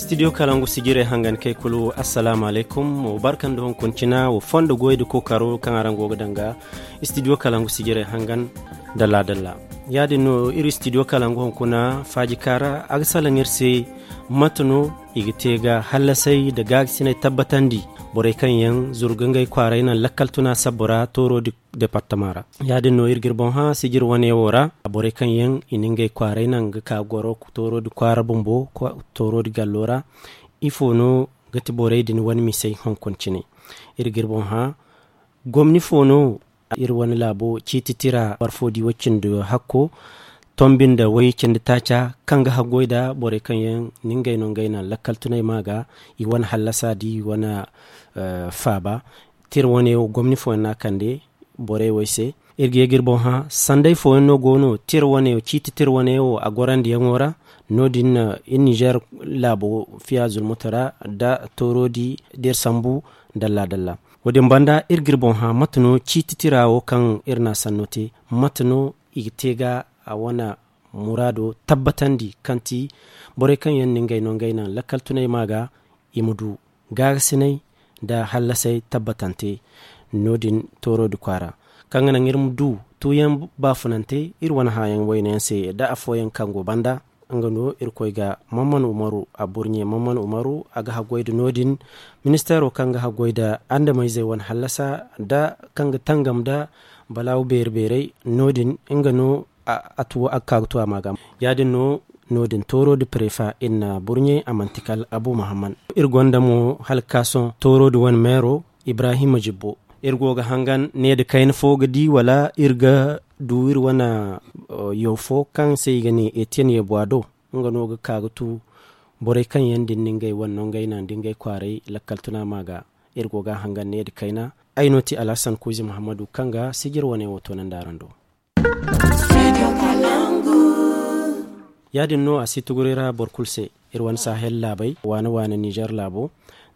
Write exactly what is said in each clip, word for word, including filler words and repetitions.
Studio kalangu sijirey hangan kay kulu, assalamu alaykum. Wo barkan da hunkuna cina wo fondo goy da kookaro kaŋ araŋ go ga danga studio kalangu sijirey hangan. Dalla dalla, ya-din no iri studio kalangu hunkuna faaji kaara a ga salaŋ iri se. Mate no i ga te ga hallasay nda gaagasinay tabbatandi borey kaŋ yaŋ zuru ga ngey kwaaray naŋ lakkal tuna sabbo ra tooro di departama ra. Ya-din no iri ga iri boŋ hã sijir wane wo ra, borey kaŋ yaŋ i na ngey kwaaray naŋ ga ka goro tooro di kwaara bumbo, tooro di gallo ra. Ifo no ga ti borey din wane misey hunkuna cine? Iri ga iri boŋ hã gomni fo no? Iri wane laabo ciiti tira barfo di wo cindi hakko tombi nda way cindi taaca kaŋ ga haggoy nda borey kaŋ yaŋ na ngey no ngey naŋ lakkal tunay ma ga i wane hallasa da i wane faaba. Tira wane wo gomni fooyaŋ no a kande borey wo ay se. Iri ga ye ga iri boŋ hã sanday fooyaŋ no go no tira wane wo ciiti tira wane wo a gorandiyaŋo ra. No- din iri nizer laabo fiya zulmuta ra nda tooro di da iri sambu dalla dalla. Wo- din banda iri ga iri boŋ hã mate no ciiti tira wo kaŋ iri na a sanno te? Mate no i ga te ga a wane muraado tabbatandi kaŋ ti borey kaŋ yaŋ na ngey no ngey naŋ lakkal tunay ma ga i ma du gaagasinay nda hallasay tabbatante? No- din tooro di kwaara kaŋ ga naŋ iri ma du tuuyaŋ baafunante iri wane hãyaŋ wayne yaŋ se nda afooyaŋ kaŋ go banda. Nga no irkoy ga mamman umaru a burɲe mamman umaru a ga haggoy nda no- din ministeero kaŋ ga haggoy nda andamayzey wane hallasa nda kaŋ ga tangam nda balaawu beeri beerey. No- din nga no a tu a ga ka ga tu a ma ga. Ya- din no no- din tooro di prefa iri na burɲe a manti kala abu muhammad. Iri gonda mo hala ga ka sohõ tooro di wane meero ibrahima jibbo. Iri go ga hangan ne nda kayna fo ga di wala iri ga du iri wane yaw fo kaŋ se i ga ne etienne yebwa do. Nga no ga ka ga tu borey kaŋ yaŋ din na ngey wane no ngey naŋ da ngey kwaaray lakkal tuna ma ga. Iri go ga a hangan ne nda kayna. Ay no ti alhassan kuuzi muhammadu kaŋ ga sijir wane wo toonandi araŋ do. Ya- din no a si tuguray ra boro kulu se. Iri wane sahel laabey waane waane nizer laabo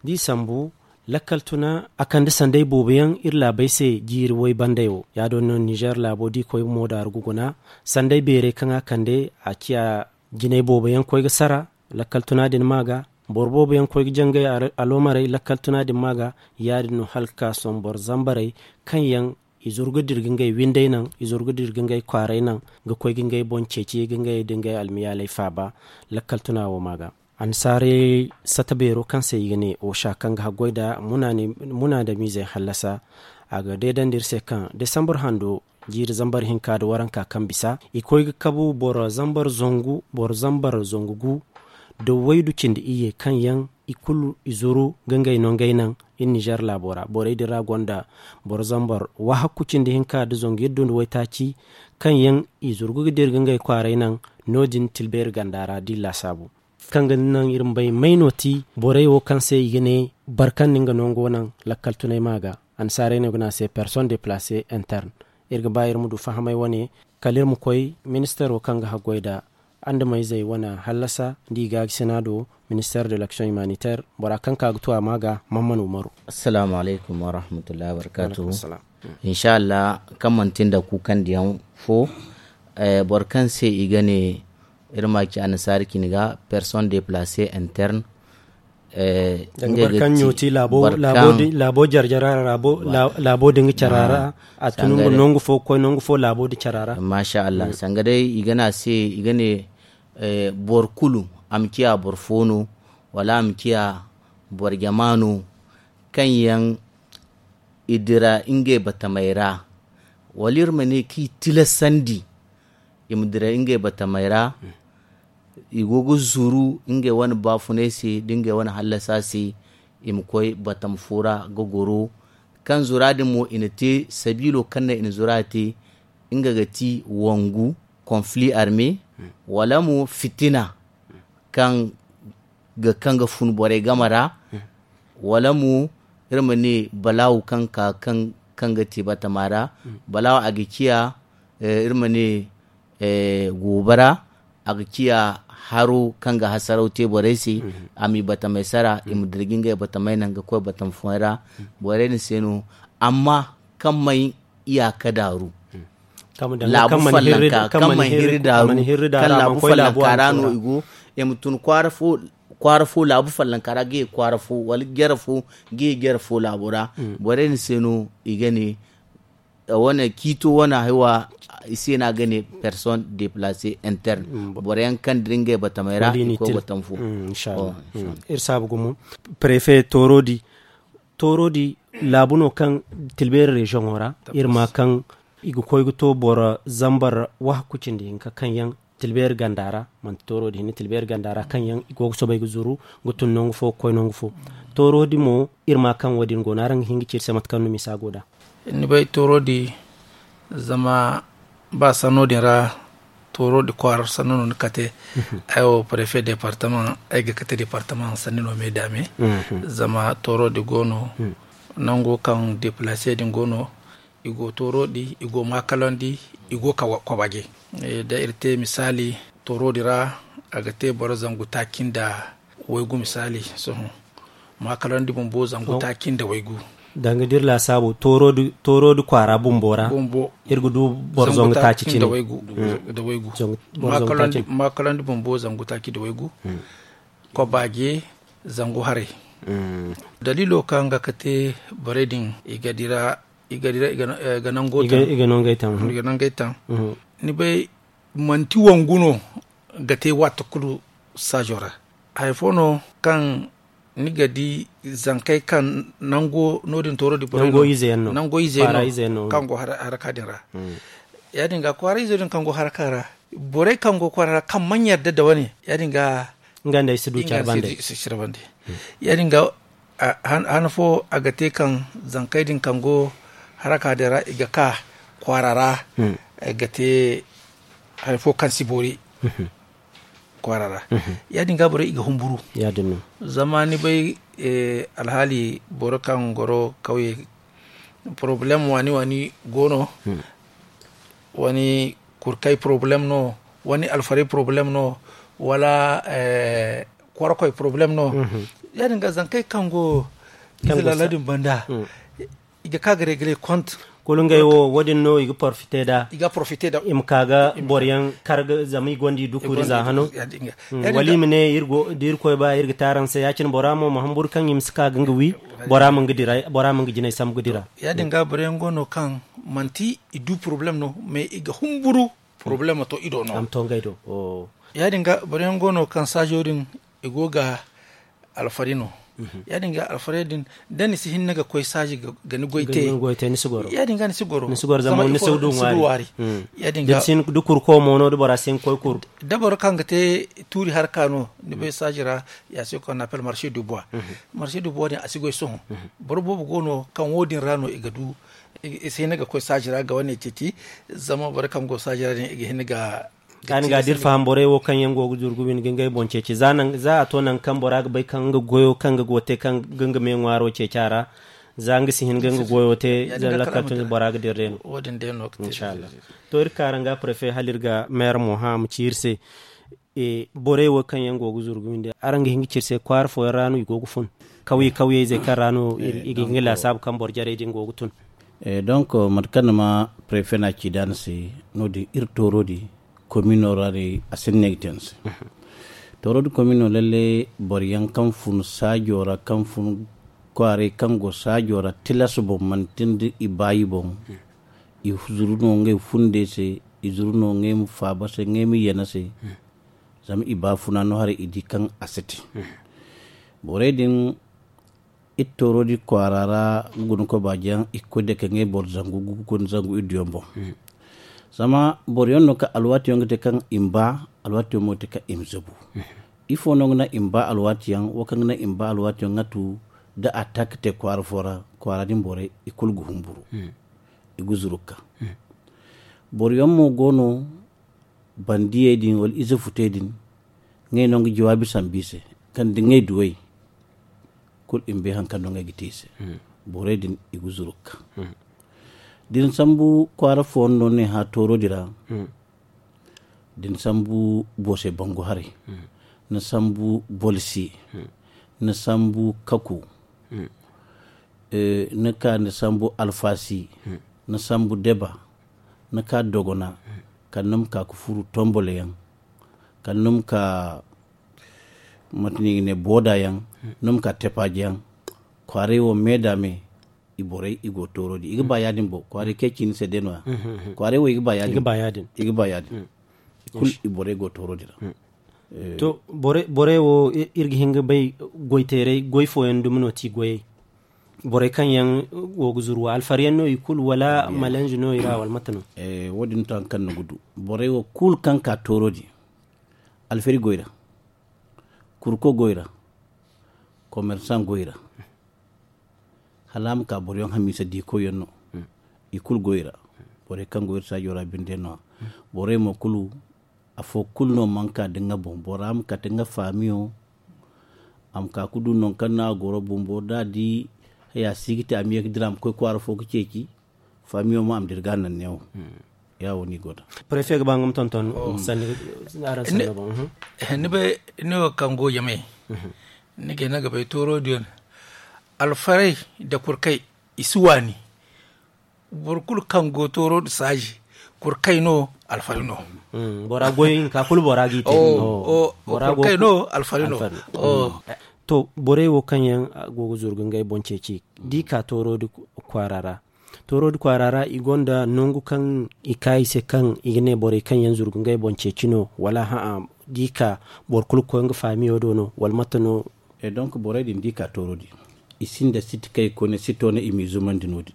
da i sambu lakkal tuna a kande sanday boobo yaŋ iri laabey se jiiri way banday wo. Ya- din no nizer laabo da i koy moodaari ga guna sanday beerey kaŋ a kande a ciya jinay boobo yaŋ koy ga sara lakkal tuna din ma ga. Boro boobo yaŋ koy ga jangay aloomarey lakkal tuna din ma ga. Ya- din no hala ga ka sohõ boro zambarey kaŋ yaŋ i zuru ga dira ga ngey windey naŋ i zuru ga dira ga ngey kwaaray naŋ ga koy ga ngey boŋ ceeci ga ngey da ngey almiyaaley faaba lakkal tuna wo ma ga. Annasaarey sata beero kaŋ se i ga ne osha kaŋ ga haggoy nda munaadamiizey hallasa a ga deedandi iri se kaŋ desambur hando jiiri zambar hinka nda waranka kaŋ bisa i koy ga kabu boro zambar zangu boro zambar zangu gu nda waydu cindi iyye kaŋ yaŋ i kulu i zuru ga ngey no ngey naŋ. Iri nizer laabo ra borey din ra gonda boro zambar wahakku cindi hinka nda zangu yaddu nda waytaaci kaŋ yaŋ i zuru ga dira ga ngey kwaaray naŋ. No- din tilbeeri ganda ra da i laasaabu kaŋ ga naŋ iri ma bay may no ti borey wo kaŋ se i ga ne boro kaŋ na nga nango naŋ lakkal tunay ma ga. Annasaarey no ga ne a se personne deplace interne. Iri ga ba iri ma du fahamay wane kala iri ma koy ministeero kaŋ ga haggoy nda andamayzey wane hallasa nda i gaagisi naado ministeer de l'action humanitaire bora kaŋ ka ga tu a ma ga. Mamman umaru. Assalamu alaykum warahmatullahi wabarakatuhu. Inshallah kaŋ manti nda kuukandiyaŋ fo boro kaŋ se i ga ne iri ma ci annasaari cine ga personne deplace interne. Danga boro kaŋ ɲooti laabo jarjara ra laabo din ga cara ra a tun nga nangu fo ga koy nangu fo laabo din cara ra. Masha allah sanga day i ga ne a se i ga ne boro kulu a ma ciya boro fo no wala a ma ciya boro jama no kaŋ yaŋ i dira ngey batamey ra wala iri ma ne kaŋ i tilasandi i ma dira ngey batamey ra. I go ga zuru ngey wane baafunay se da ngey wane hallasa se i ma koy batama fo ra ga goro. Kaŋ zura din mo i na te sabiilo kaŋ naŋ i na zura te nga ga ti wangu conflit arme wala mo fitina kaŋ ga kaŋ ga fun borey game ra wala mo iri ma ne balaawu kaŋ ka kaŋ ga te batama ra. Balaawu a ga ciya iri ma ne goobara a ga ciya haro kaŋ ga hasaraw te borey se a m'i batamey sara i ma dirji ngey batamey naŋ ga koy batama fooyaŋ ra. Borey din se no amma kaŋ may iyaaka daaru laabu fallanka kaŋ mana hirri daaru kaŋ laabu fallanka ra no i go i ma tun kwaara fo kwaara fo laabu fallanka ra ga ye kwaara fo wala jare fo ga ye jare fo laabo ra. Borey din se no i ga ne wane ciito wane haywa i se no a ga ne personne déplacée interne. Boro yaŋ kaŋ dira ngey batamey ra i koy batam fo. Iri saabu gumo. Préfet tooro di tooro di laabu no kaŋ tilbeeri reziyoŋo ra iri ma kaŋ i ga koy ga to boro zambar wahakku cindi hinka kaŋ yaŋ tilbeeri ganda ra manti tooro di hinne tilbeeri ganda ra kaŋ yaŋ i go ga soobay ga zuru ga tun nangu fo ga koy nangu fo. Tooro di mo iri ma kaŋ wo- din go no araŋ ga hin ga ci iri se mate kaŋ no misa go nd'a. Ni bay tooro di zama ba sanno din ra tooro di kwaara sanno no ni kate. Ay wo préfet département ay ga kate département sanni no me dame. Zama tooro di go no nango kaŋ déplacé din go no i go tooro di i go maakalandi i go ka kobaje. Da iri te misaali tooro di ra a ga te boro zangu taaci nda waygu misaali sohõ maakalandi bumbo zangu taaci nda waygu. Danga da iri laasaabu tooro di kwaara bumbo ra iri ga du boro zangu taaci cine. Maakalandi bumbo zangu taaci nda waygu. Kobaaje zangu haray. Daliilo kaŋ ga ka te borey din i ga dira i ga dira i ga nango taŋ. Ni bay manti wangu no ga te waati kulu saajo ra. Hari fo no kaŋ ni ga di zankey kaŋ nango no- din tooro di borey nango ize yaŋ no kaŋ go haraka din ra. Ya- din ga kwaara ize din kaŋ go haraka ra borey kaŋ go kwaara ra kaŋ man yarda da wane ya- din ga nga nda ay si du care bande. Ya- din ga han fo a ga te kaŋ zankey din kaŋ go haraka din ra i ga ka kwaara ra ga te hari fo kaŋ si boori kwaara ra. Ya- din ga borey i ga humburu. Zama ni bay alhaali boro kaŋ goro kawye poroblem waani waani go no. Wani kurkay poroblem no wani alfaray poroblem no wala kwarkoy poroblem no. Ya- din ga zankey kaŋ go ize laala din banda i ga ka ga regle kont. Kulu ngey wo wo- din no i ga porofite da i ga porofite da i ma ka ga boro yaŋ kar ga zama i gonda i dukuri za hano. Wala i ma ne da iri koy ba iri ga te araŋ se ya- cine bora mo ma hamburu kaŋ i ma si ka ga nga wi bora ma nga jinay sambu ga dira. Ya- din ga boro yaŋ go no kaŋ manti i du poroblem no mais i ga humburu poroblem ma to i do no. Ya- din ga boro yaŋ go no kaŋ saajo din i go ga alfari no. Ya- din ga alfari din da ni si hinne ga koy saaji ga ni goy te ni si goro. Ya- din ga ni si goro zama ni si du ŋwaari. Ya- din ga da kurko mo no da bora si hin ga koy kuru da boro kaŋ ga te tuuri harka no ni bay saaji ra ya se ko na appel marché du bois. Marché du bois din a si goy sohõ. Boro boobo go no kaŋ wo- din ra no i ga du i si hinne ga koy saaji ra ga wane ceeci. Zama boro kaŋ go saaji ra din i ga hinne ga kaani ga da iri faham borey wo kaŋ yaŋ go ga zuru ga windi ga ngey boŋ ceeci za a to nangu kaŋ bora ga bay kaŋ nga goyo kaŋ ga go te kaŋ ga nga me ŋwaaro ceeci a ra. Za nga si hin ga nga goyo te za lakkal tun bora ga dira day no. To iri kaara nga prefe hala iri ga meer mo hã a ma ci iri se. Borey wo kaŋ yaŋ go ga zuru ga windi araŋ ga hin ga ci iri se kwaara fooyaŋ ra no i go ga fun kawye kawyeyzey kaŋ ra no i ga hin ga laasaabu kaŋ boro jarey din go ga tun. Donc mate kaŋ ni ma prefe no a ci da ni se no- din iri tooro din komino ra day a sinda no ay ga te ni se. Tooro din komino lalle boro yaŋ kaŋ fun saajo ra kaŋ fun kwaaray kaŋ go saajo ra tilas boŋ manti nda i baayi boŋ. I zuru no ngey fundey se i zuru no ngey ma faaba se ngey ma yana se. Zama i baafuna no haray i di kaŋ a si te. Borey din iri tooro di kwaara ra ga guna koy baaji yaŋ i ga koy dake ngey boro zangu ga guna zangu iddu yaŋ boŋ. Zama boro yaŋ no kaŋ alwaati yaŋ ga te kaŋ i ma ba alwaati yaŋ mo ga te kaŋ i ma zabu. Ifo no ga naŋ i ma ba alwaati yaŋ wo kaŋ ga naŋ i ma ba alwaati yaŋ ga tu da a taka te kwaara fo ra kwaara din borey i kulu ga humburu. I ga zuru ga ka boro yaŋ mo go no bandiyey din wala ize futey din ngey no nga jawaabi sambu i se kaŋ da ngey duwey kulu i ma bay hari kaŋ no ngey ga te i se. Borey din i ga zuru ga ka da ni sambu kwaara fooyaŋ no ni hã tooro din ra. Da ni sambu boosey bangu haray ni sambu bolsi ni sambu kaku ni ka ni sambu alfaasi ni sambu deba ni ka dogona kala ni ma ka ga furu tombolo yaŋ kala ni ma ka Mate no i ga ne booda yaŋ, no ma ka tepaaji yaŋ. Kwaaray wo me da me, i borey i go tooro di i ga ba yaadin bo kwaaray kay ciini se day no ya. Kwaaray wo i ga ba yaadin i ga ba yaadin. Kulu i borey go tooro di ra. To, borey wo iri ga hin ga bay goy teeray goy fooyaŋ dumi no ti goyey. Borey kaŋ yaŋ go ga zuru wa alfari yaŋ no i kulu wala malenz no i ra wala mate no? Wo- din to hari kaŋ ni ga du, borey wo kulu kaŋ ka tooro di, alfari goy ra, kurko goy ra, komersaŋ goy ra. Hala a ma ka boro yaŋ hamiisa diikoy yaŋ no. I kulu goy ra. Borey kaŋ go iri saajo ra binde no a. Borey mo kulu, afo kulu no mana ka da nga boŋ bora ma kate nga faamiyo. A ma ka ga du nangu kaŋ no a goro bumbo da a di haya si ga te a ma ye ga dira a ma koy kwaara fo ga ceeci. Faamiyo mo a ma dira ga a naŋ neewo. Ya wo no i go da. Prefe ga ba nga ma tonton sanni araŋ sanni boŋ. Ni bay, ni wo kaŋ go jame, ni ga ne ga bay tooro diyo no. Alfaray da kurkay, i si waani. Boro kulu kaŋ go tooro da saaji, kurkay no, alfaray no. Bora goy hinka kulu bora g'i te. Kurkay no, alfaray no. To, borey wo kaŋ yaŋ go ga zuru ga ngey boŋ ceeci, da i ka tooro di kwaara ra. Tooro di kwaara ra i gonda nangu kaŋ i ka i se kaŋ i ga ne borey kaŋ yaŋ zuru ga ngey boŋ ceeci no, wala ha'a, da i ka boro kulu ga koy nga faamiyo do no wala mate no? E donk borey din da i ka tooro di, i sinda siti kaŋ i koy ne sito no i m'i zumandi no- din.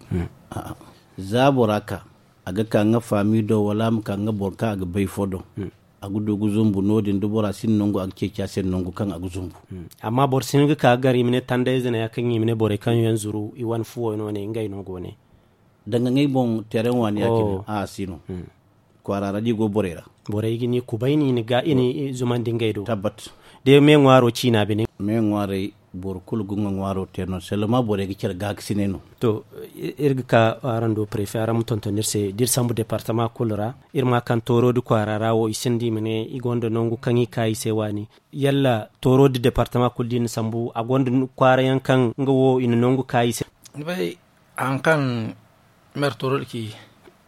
Za bora ka, a ga ka nga faami do wala a ma ka nga boro kaŋ a ga bay fo do. A ga du ga zumbu no- din da bora sinda nangu a ga ceeci a se nangu kaŋ a ga zumbu. Amma boro si hin ga ka ga gar i ma ne tandayze no ya kaŋ i ma ne borey kaŋ yaŋ zuru i wane fuwo no ne ngey no go ne. Danga ngey boŋ tereŋ waani ya- cine a si no. Kwaara ra da i go borey ra, borey ga ni kubay ni ni ga i ni zumandi ngey do. Tabbat. De me ŋwaaro ciina bine. Me ŋwaarey, boro kulu ga nga ŋwaaro te no selma borey ga care gaakasinay no. To, iri ga ka araŋ do prefe araŋ ma tonton iri se da iri sambu departama kulu ra. Iri ma kaŋ tooro da kwaara ra wo i sinda i ma ne i gonda nangu kaŋ i ka i se waani. Yalla tooro da departama kulu da i na sambu a gonda kwaara yaŋ kaŋ nga wo i na nangu ka i se? Ni bay, hari kaŋ mere tooro da ci,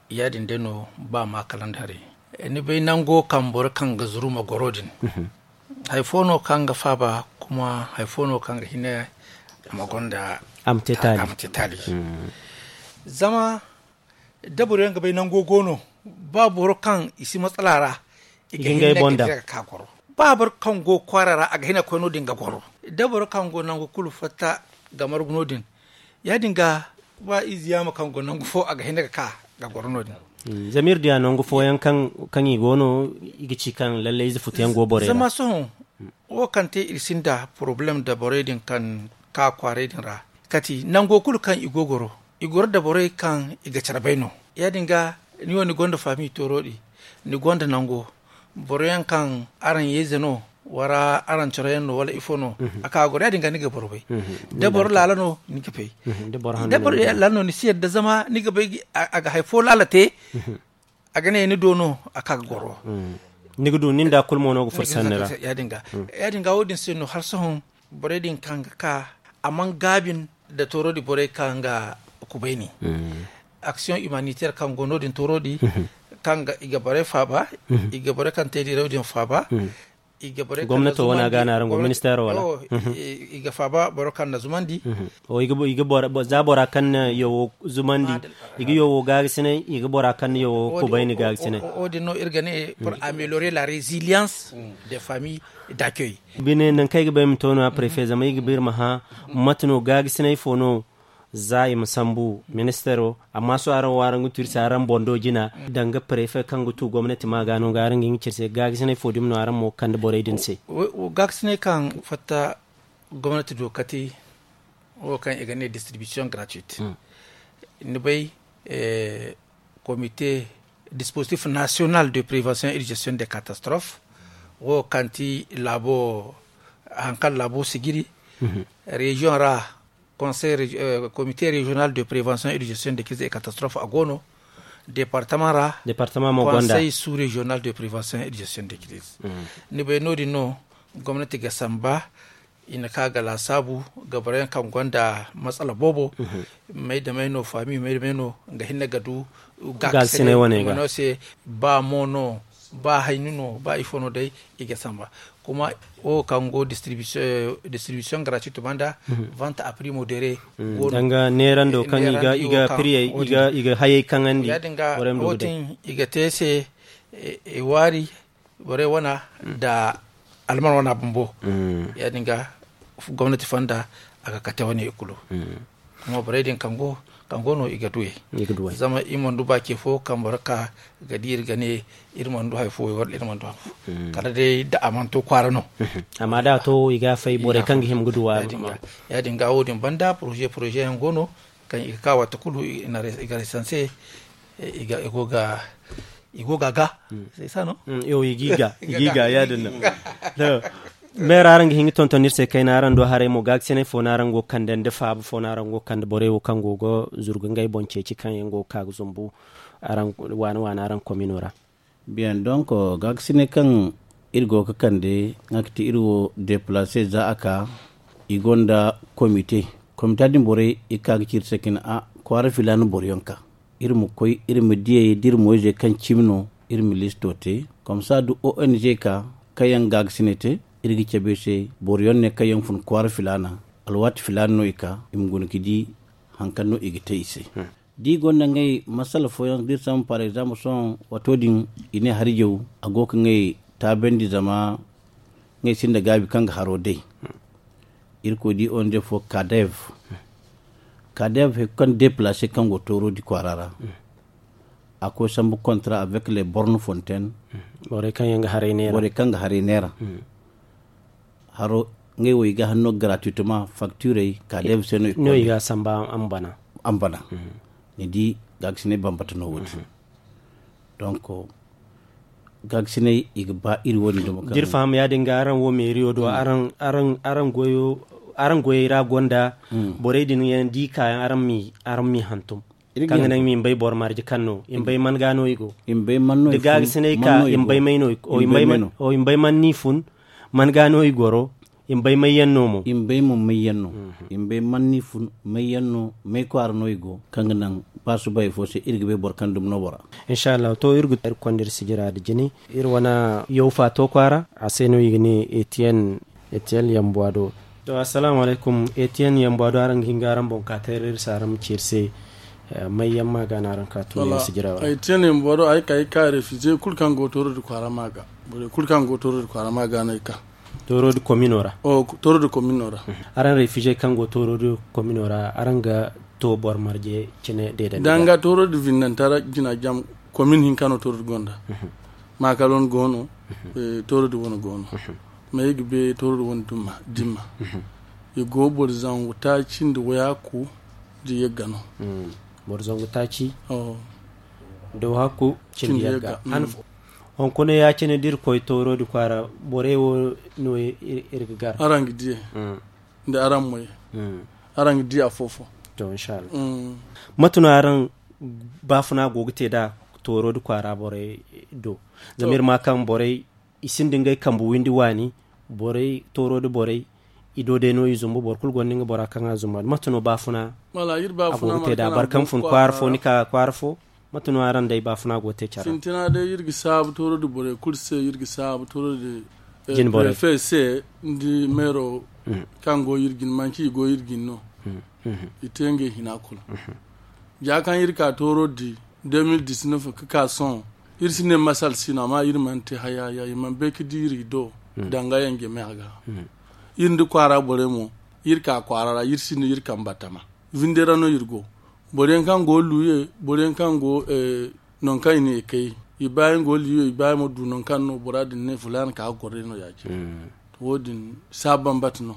ya- din day no. Ba ma kala nda hari, ni bay nango kaŋ boro kaŋ ga zuru ma goro din. Hari fo no kaŋ ga faaba, kuma hari fo no kaŋ ga hina ma gonda a ma te taali. Zama da boro yaŋ ga bay nango go no, ba boro kaŋ i si matsala ra, i ga hin ga ka goro. Ba boro kaŋ go kwaara ra a ga hina koy no- din ga goro. Da boro kaŋ go nango kulu fatta ga margu no- din, ya- din ga ba ize yaama kaŋ go nangu fo a ga hina ga ka ga goro no- din. Zama iri diya nangu fooyaŋ kaŋ i go no, i ga ci kaŋ lalle ize futu yaŋ go borey ra. Zama sohõ wo kaŋ te iri sinda poroblem da borey din kaŋ ka kwaaray din ra, kati nango kulu kaŋ i go goro, i goro da borey kaŋ i ga care bay no. Ya- din ga, ni wo ni gonda faami tooro di, ni gonda nango, boro yaŋ kaŋ araŋ ye ize no, wala araŋ coro yaŋ no wala ifo no, a ka goro ya- din ga ni ga boro bay. Da boro laala no, ni ga bay. Da boro laala no ni si yadda zama ni ga bay a ga hari fo laala te. A ga ne ni do no a ka ga goro. Ni ga du nin da kulu mo no ga furo sanni ra. Ya- din ga wo- din se no har sohõ borey din kaŋ ga ka, a man gaabin da tooro di borey kaŋ ga kubay ni. Action humanitaire kaŋ go no- din tooro di, kaŋ i ga borey faaba, i ga borey kaŋ te diiraw din faaba. Gomnato wane a ga no araŋ go ministeero wala? I ga faaba boro kaŋ na zumandi. Za bora kaŋ na yawo zumandi, i ga yawo gaagasinay, i ga bora kaŋ na yawo kubayni gaagasinay. Wo- din no iri ga ne pour améliorer la résilience des familles d'accueil. Bine nangu kaŋ ay ga bay ma to no a prefe zama i ga ba iri ma hã mate no gaagasinay fo no. Za i ma sambu ministero amma sohõ araŋ wo araŋ ga turi se araŋ boŋ do jina danga prefe kaŋ ga tu gomnati ma ga no ga araŋ ga hin ga care se gaagasinay fo dumi no araŋ mo ga kande borey din se. Gaagasinay kaŋ fatta gomnati do kati wo kaŋ i ga ne distribution gratuite. Ni bay comité dispositif national de prévention et de gestion des catastrophes wo kaŋ ti laabo hari kaŋ laabo sijiri région ra. Comité régional de prévention et de gestion des crises et catastrophes a go no. Département ra conseil sous régional de prévention et de gestion des crises. Ni bay no- din no gomnati ga samba i na ka ga laasaabu ga boro yaŋ kaŋ gonda matsala boobo may da may no faami may da may no ga hinne ga du gaagasinay wane ga no se. Ba mo no Ba hayni no, ba ifo no day, i ga samba. Kuma wo kaŋ go distribution gratuite banda, vanta a primo dere. Danga neerando kaŋ i ga priyey, i ga hayey kaŋandi. Yaadin ga wotin i ga te se, i waari borey wana nda alman wana bumbo. Yaadin ga gomnati fanda a ga kate wane i kulu. Kuma borey din kaŋ go no i ga duwey. Zama i mana du ba ce fo kaŋ boro ka ga di iri ga ne iri mana du hari fo wala iri mana du hari fo. Kala day da a mana to kwaara no. Amma da a to i ga fay borey kaŋ ga hima ga du waani. Yaadin ga wo- din banda poroze poroze yaŋ go no kaŋ i ga ka waati kulu i ga resanse. I go ga ga i go ga ga. Sai sa no. I go ga ga yaadin no. Meera araŋ ga hin ga tonton iri se kayna araŋ do haray mo gaakasinay fo no araŋ go ga kande nda faaba fo no araŋ go ga kande borey wo kaŋ go ga zurgu ngey boŋ ceeci kaŋ yaŋ go ga ka ga zumbu waani waani araŋ komino ra? Biyaŋ donk gaakasinay kaŋ iri go ga kande nga ga ti iri wo deplace za a ka i gonda komite. Komita din borey i ga ka ga ci iri se kina a kwaara filaana boro yaŋ ka iri ma koy iri ma diyey da iri moyzey kaŋ cimi no. Iri ma listo te komsa da ong ka kaŋ yaŋ gaagasinay te iri ga cabe se boro yaŋ ne kaŋ yaŋ fun kwaara filaana alwaati filaana no i ka i ma guna ga di. Hari kaŋ no i ga te i se da i gonda ngey masala fooyaŋ da iri sambu par exemple sohõ waato din i ne harijaw a go ga ngey taabandi zama ngey sinda gaabi kaŋ ga haro day. Irkoy di ong fo kadev kadev hari kulu kaŋ deplace kaŋ go tooro di kwaara ra a koy sambu kontra avec les bornes fontaine. Borey kaŋ ga haray neera haro ngey wo i ga hanno gratuitement facturey kadev se no i ga samba. Ambana ni di gaagasinay bambata no wo- din. Donc gaagasinay i ga ba iri wo- din dumo kaŋ da iri faham yaadin ga araŋ wo meeriyo do araŋ goyey ra gonda borey din yaŋ da i kaayaŋ araŋ m'i hantum kaŋ ga naŋ i ma i ma bay boro marje kaŋ no i ma bay man ga no i go. Da gaagasinay ka i ma bay may no i go i ma bay man n'i fun man ga no i goro i ma bay may yaŋ no mo i ma bay mo may yaŋ no i ma bay man n'i fun may yaŋ no may kwaara no i go kaŋ ga naŋ ba suba ifo se iri ga bay boro kaŋ dumi no bora. Insa allahu to iri ga iri konda iri sijira nda jine iri wane yawfa to kwaara a se no i ga ne etiyen etiyen yambuwa do. To assalaamu alaykum etiyen yambuwa do araŋ ga hin ga araŋ boŋ ka tayra iri se araŋ ma ci iri se may yaŋ ma ga no araŋ ka tun iri sijira ra? Etiyen yambuwa do ay ka ay ka refize kulu kaŋ go tooro di kwaara ma ga borey kulu kaŋ go tooro di kwaara ma ga no ay ka. Tooro di komino ra tooro di komino ra. Araŋ refize kaŋ go tooro di komino ra araŋ ga to boro marje cine deedandi da nga tooro di vindanta ra jina jam komin hinka no tooro di gonda. Makalon go no tooro di wane go no. Ma i ga bay tooro di wane dimma i go boro zangu taaci nda wayaku da yagga no. Boro zangu taaci nda wayaku cindi yagga. Hunkuna ya cine da iri koy tooro di kwaara borey wo no iri ga gar araŋ ga diya nda araŋ moy araŋ ga diya fofo. To inshallah. Mate no araŋ baafuna go ga te da tooro di kwaara borey do? Zama iri ma kaŋ borey i sinda ngey kambe windi waani borey tooro di borey i do day no i zumbu boro kulu gonda nga bora kaŋ a zumbu mate no baafuna a go ga te da boro kaŋ fun kwaara fo ni ka kwaara fo? Mate no araŋ day baafuna go ga te care sintina day iri ga saabu tooro di borey kulu se iri ga saabu tooro di jinborey se nda meero kaŋ go iri jin manci i go iri jin no. I te ngey hina kulu za kaŋ iri ka tooro di deux mille dix-neuf ka ka sohõ iri si ne masal si no amma iri mana te haya haya i mana bay ka di iri do danga yaŋ jame a ga. Iri nda kwaara borey mo iri ka kwaara ra iri si no iri kambe tama. Vinde ra no iri go boro yaŋ kaŋ go luye boro yaŋ kaŋ go nangu kaŋ i ne i kay i ba yaŋ go luye i ba yaŋ ma du nangu kaŋ no bora din ne fulaana ka ga goro day no ya- cine. To wo- din saabu bambata no.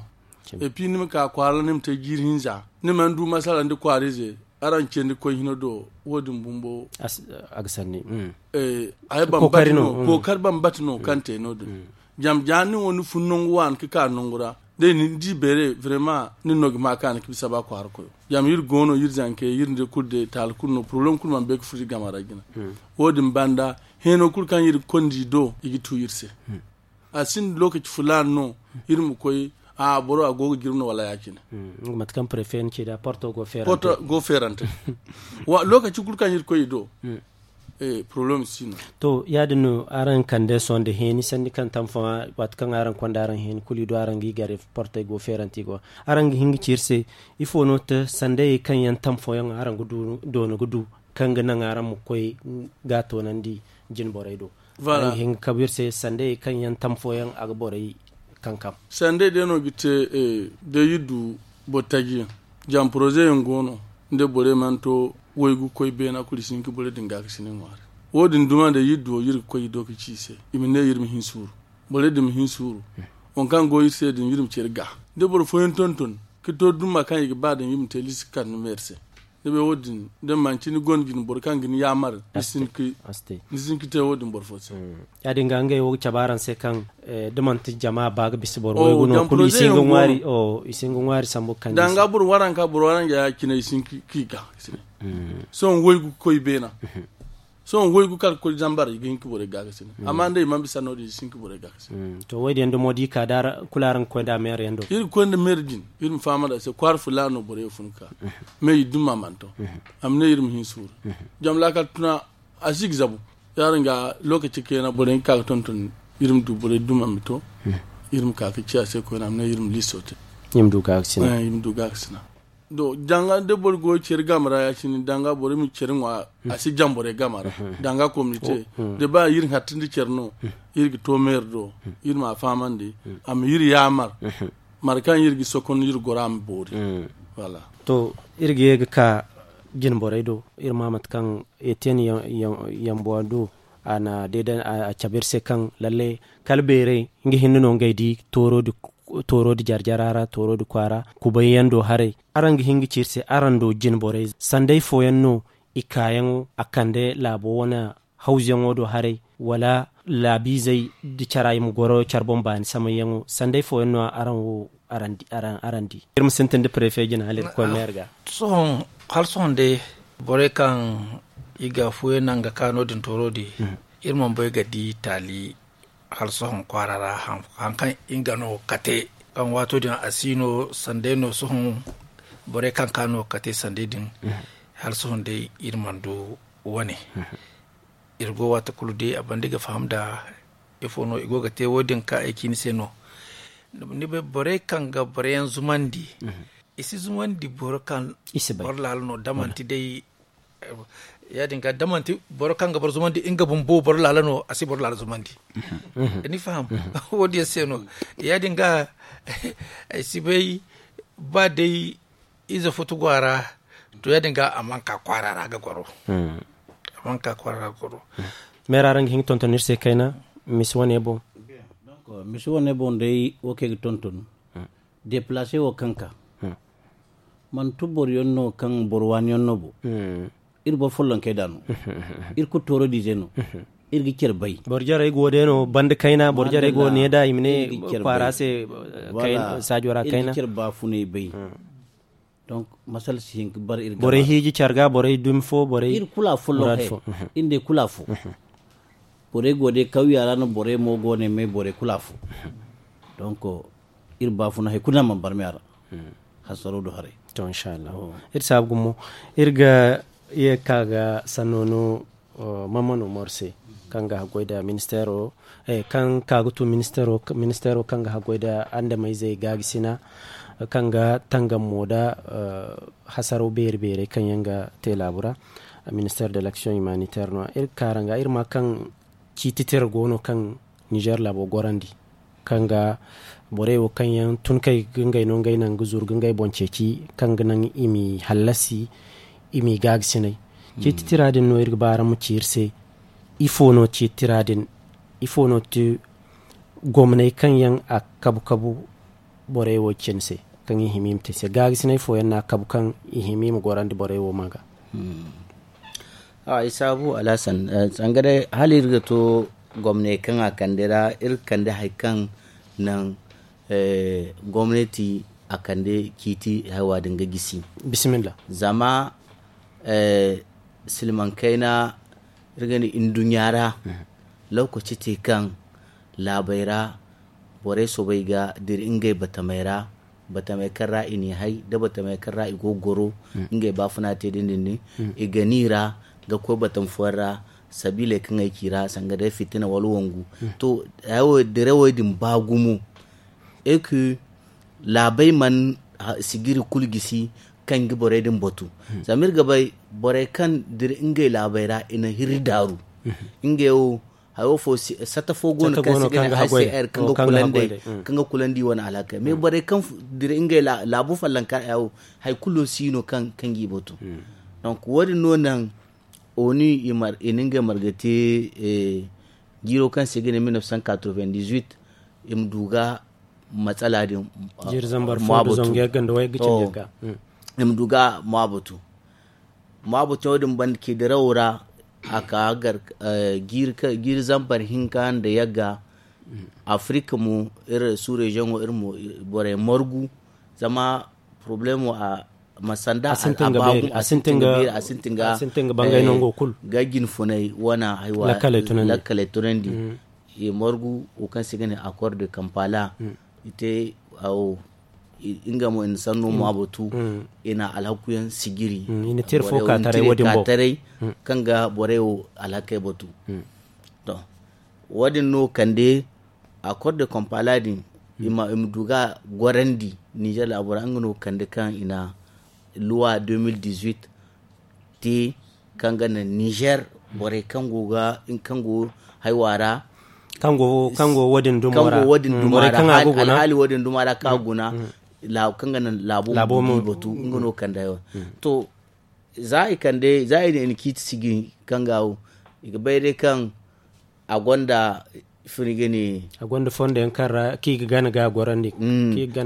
Et puis ni ma ka kwaara ni ma te jiiri hinza ni mana du masala nda kwaara ize araŋ candi koy hino do wo- din bumbo a ga sanni. Ay bambata no kookari bambata no kaŋ te no- din. Zama za ni wo ni fun nangu waani ka ka nangu ra day ni di beere vraiment ni no ga ma kaani ka bisa ba kwaara koyo. Zama iri go no iri zanke iri nda kulu day taali kulu no problème kulu mana bay ka furo iri gama ra jina. Wo- din banda heno kulu kaŋ iri ga konda i do i ga tu iri se. A sinda lokaci fulaana no iri ma koy a boro a go ga jirbi no wala ya- cine. Mate kaŋ prefe ni ci da porto go feerante. Lokaci kulu kaŋ iri koy i do Problem si no. To, ya- din no araŋ kande sohõ nda heeni sanni kaŋ tamfama waati kaŋ araŋ konda araŋ heeni kulu i do araŋ ga i gare portey go feeranti go. Araŋ ga hin ga ci iri se ifo no te sandayey kaŋ yaŋ tam fooyaŋ araŋ ga doonu ga du kaŋ ga naŋ araŋ ma koy ga a toonandi jine borey do? Araŋ ga hin ga kabu iri se sandayey kaŋ yaŋ tam fooyaŋ a ga borey kankam. Sandey day no ga te da iri du boro taji yaŋ, jama poroze yaŋ go no. Nda borey mana to waygu koy beena kulu i si hin ka borey din gaakasinay ŋwaari. Wo- din duma day iri du wo iri ga koy i do ka ci i se i ma ne iri ma hin suuru. Borey din ma hin suuru. Waŋ kaŋ go iri se din iri ma ci iri ga da boro fooyaŋ tonton ka to dumma kaŋ i ga ba din iri ma te liisi kande meeri se. Ni bay wo- din da manci ni gonda jine boro kaŋ ga ni yaamar ni si hin ka te wo- din boro fo se. Ya- din ga ngey wo ga cabe araŋ se kaŋ da manti jama ba ga bisa boro waygu no kulu i si hin ga ŋwaari sambu kaŋ danga boro waranka boro waranka ya- cine i si hin ka i ga sohõ waygu ga koy beena. Sohõ waygu kala ga koy zambar i ga hin ka borey gaakasina amma nda i mana bisa no- din i si hin ka borey gaakasina. To wo- din yaŋ dumo da i ka da kulu araŋ ga koy nda meeri yaŋ do iri ga koy nda meeri din iri ma faham nda se kwaara fulaana no borey fun ga ka me i dumma mana to. A ma ne iri ma hin suuru. Jama laakal tuna a si ga zabu. Yaadin ga lokaci kayna borey ga ka ga tonton iri ma du borey dumma ma to. Iri ma ka ga ci a se koyna a ma ne iri ma liiso te. Iri ma du ga ga sina. Danga da boro go care game ra ya- cine danga borey ma care ŋwa a si jaŋ borey game ra. Danga komite da ba iri hattandi care no iri ga to meeri do iri ma a fahamandi a ma iri yaamar. Mate kaŋ iri ga sokon iri goro a ma boori. To iri ga ye ga ka jine borey do iri ma mate kaŋ etienne yambuwa do a na deeday a cabe iri se kaŋ lalle kala beeray nga hinne no ngey di tooro di jarjara ra tooro di kwaara kubay yaŋ do haray. Araŋ ga hin ga ci iri se araŋ do jine borey sanday fooyaŋ no i kaayaŋo a kande laabo wane hawzuyaŋo do haray wala laabiizey da cara i ma goro care boŋ baani samayyaŋo sanday fooyaŋ no araŋ wo araŋ di iri ma sintin da prefe jina hala iri koy meeri ga. Hala sohõ day borey kaŋ i ga fooyaŋ naŋ ga ka no- din tooro di iri mana bay ga di taali hala sohõ kwaara ra haŋ kaŋ nga no kate kaŋ waato din a si no sanday no sohõ borey kaŋ ka no kate sanday din hala sohõ day iri mana du wane. Iri go waati kulu day a banda ga faham nda ifo no i go ga te wo- din ka ay ci ni se no. Ni bay borey kaŋ ga boro yaŋ zumandi i si zumandi boro kaŋ boro laala no da manti day ya- din ga da manti boro kaŋ ga boro zumandi nga bumbo boro laala no a si boro laala zumandi. Ni faham? Wo- din se no ya- din ga ay si bay ba day ize futu go a ra. To ya- din ga a mana ka kwaara ra ga goro. A mana ka kwaara ra ga goro. Meera ra nga hin ga tonton iri se kayna misi wane boŋ. Misi wane boŋ day wo kaŋ ay ga tonton deplace wo kaŋ ka manti boro yaŋ no kaŋ boro waani yaŋ no bo. Iri boro follonkey da no iri kulu tooro diize no. Iri ga care bay boro jarey go day no banda kayna boro jarey go ne da i ma ne kwaara se saajo ra kayna care baafunay bay. Donc masala si hin ga bara iri borey hiiji care ga borey dumi fo borey iri kulu a folloŋ he. Iri day kulu a fo. Borey go day kawya ra no borey mo go ne may borey kulu a fo. Donc iri baafuna hari kulu naŋ mana barmey a ra. Hasaro do haray. To inshallah iri saabu gumo iri ga ye ka ga sanno no. Mamman umar se kaŋ ga haggoy nda ministeero kaŋ ka ga tu ministeero kaŋ ga haggoy nda andameyzey gaagisi na kaŋ ga tangam mo nda hasaro beeri beerey kaŋ yaŋ ga te laabu ra. Ministeer de l'action humanitaire no iri ga kaara nga iri ma kaŋ ciiti tira go no kaŋ nizer laabo gorandi kaŋ ga borey wo kaŋ yaŋ tun kay ga ngey no ngey naŋ ga zuru ga ngey boŋ ceeci kaŋ ga naŋ i m'i hallasi i m'i gaagasinay. Ciiti tira din no iri ga ba araŋ ma ci iri se ifo no ciiti tira din? Ifo no ti gomnay kaŋ yaŋ a kabu kabu borey wo cine se kaŋ i hima i ma te se gaagasinay fooyaŋ no a kabu kaŋ i hima i ma gorandi borey wo ma ga. Ay saabu alhasan sanga day hala iri ga to gomney kaŋ a kande ra iri ga kande hari kaŋ naŋ gomnati a kande ciiti haywa din ga gisi. Bismillah. Zama silmaŋ kayna iri ga ne nduɲɲa ra lokaci te kaŋ laabey ra borey soobay ga dira ngey batamey ra. Batamey kaŋ ra i n'i hay nda batamey kaŋ ra i go ga goro ngey baafuna te din din i ga ni ra ga koy batama fooyaŋ ra. sabiiley kaŋ ay ci ra sanga day fitina wala wangu. To, ay wo dire wo din ba gumo. Eke laabey man sijiri kulu gisi kaŋ ga borey din batu. Zama iri ga bay borey kaŋ dira ngey laabey ra i na hiri daaru. Ngey wo hayo fo sata fo go no kaŋ se ga ne hcr kaŋ ga kulandi kaŋ ga kulandi wane alhakey mais borey kaŋ dira ngey laabu fallanka yawo. Hari kulu si no kaŋ g'i batu. Donc wo- din no naŋ onu i na ngey marga te jiiro kaŋ se ga ne mille neuf cent quatre-vingt-dix-huit. I ma du ga matsala din jiiri zambar fo da zangu yagga nda wayga cindi yagga. I ma du ga ma batu. Ma batu wo- din banda ke dirawo ra a ka gar jiiri zambar hinka nda yagga. Afirika mo iri su reziyoŋo iri mo borey margu zama problemo a ma sanda a sintin ga beeri a sintin ga bangay nango kulu ga jinfunay wana haywa lakkaley tunandi. I margu wo kaŋ se ga ne accord de kampala i te awo. Nga mo i na sanno ma batu i na alhakuyaŋ sijiri i na tira fo ka taray wo- din bo kaŋ ga borey wo alhakey batu. To wo- din no kande accord de kampala din i ma du ga gorandi nizer laabo ra nga no kande kaŋ i na luwa deux mille dix-huit te kaŋ ga naŋ nizer borey kaŋ go ga kaŋ go haywa ra kaŋ go wo- din duma ra alhaali wo- din duma ra kaŋ a guna kaŋ ga naŋ laabo ma batu nga no kande haywa. To za i kande za i ne i na ciiti sijiri kaŋ ga wo i ga bay day kaŋ a gonda fini ga ne a gonda fondo yaŋ kaŋ ra kaŋ i ga gana ga gorandi.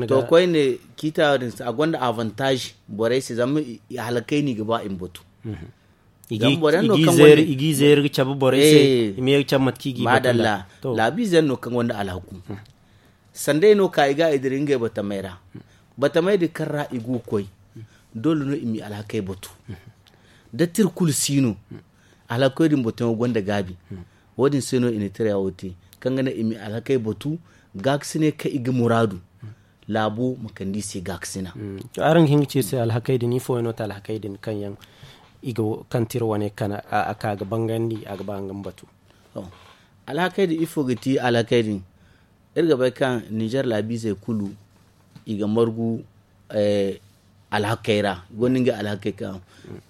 To koyne ciita din a gonda avantage borey se zama halakay no i ga ba i ma batu. I g'i zeeri ga cabe borey se i ma ye ga cabe mate kaŋ i g'i batu. Laabiize yaŋ no kaŋ gonda alhaku sanday no ka i ga i dira ngey batamey ra. Batamey din kaŋ ra i go ga koy doole no i ma i alhakey batu. Da tira kulu si no alhakoy din batuyaŋo gonda gaabi. Wo- din se no i na tira wo te kaŋ ga naŋ i ma i alhakey batu gaakasinay kaŋ i ga muraadu laabo ma kande i se gaakasina. To araŋ ga hin ga ci iri se alhakey din ifo yaŋ no ti alhakey din kaŋ yaŋ i ga kaŋ tira wane a ka ga bangandi a ga ba nga ma batu. Alhakey din ifo ga ti alhakey din iri ga bay kaŋ nizer laabiizey kulu i ga margu alhakey ra i gonda ngey alhakey kaŋ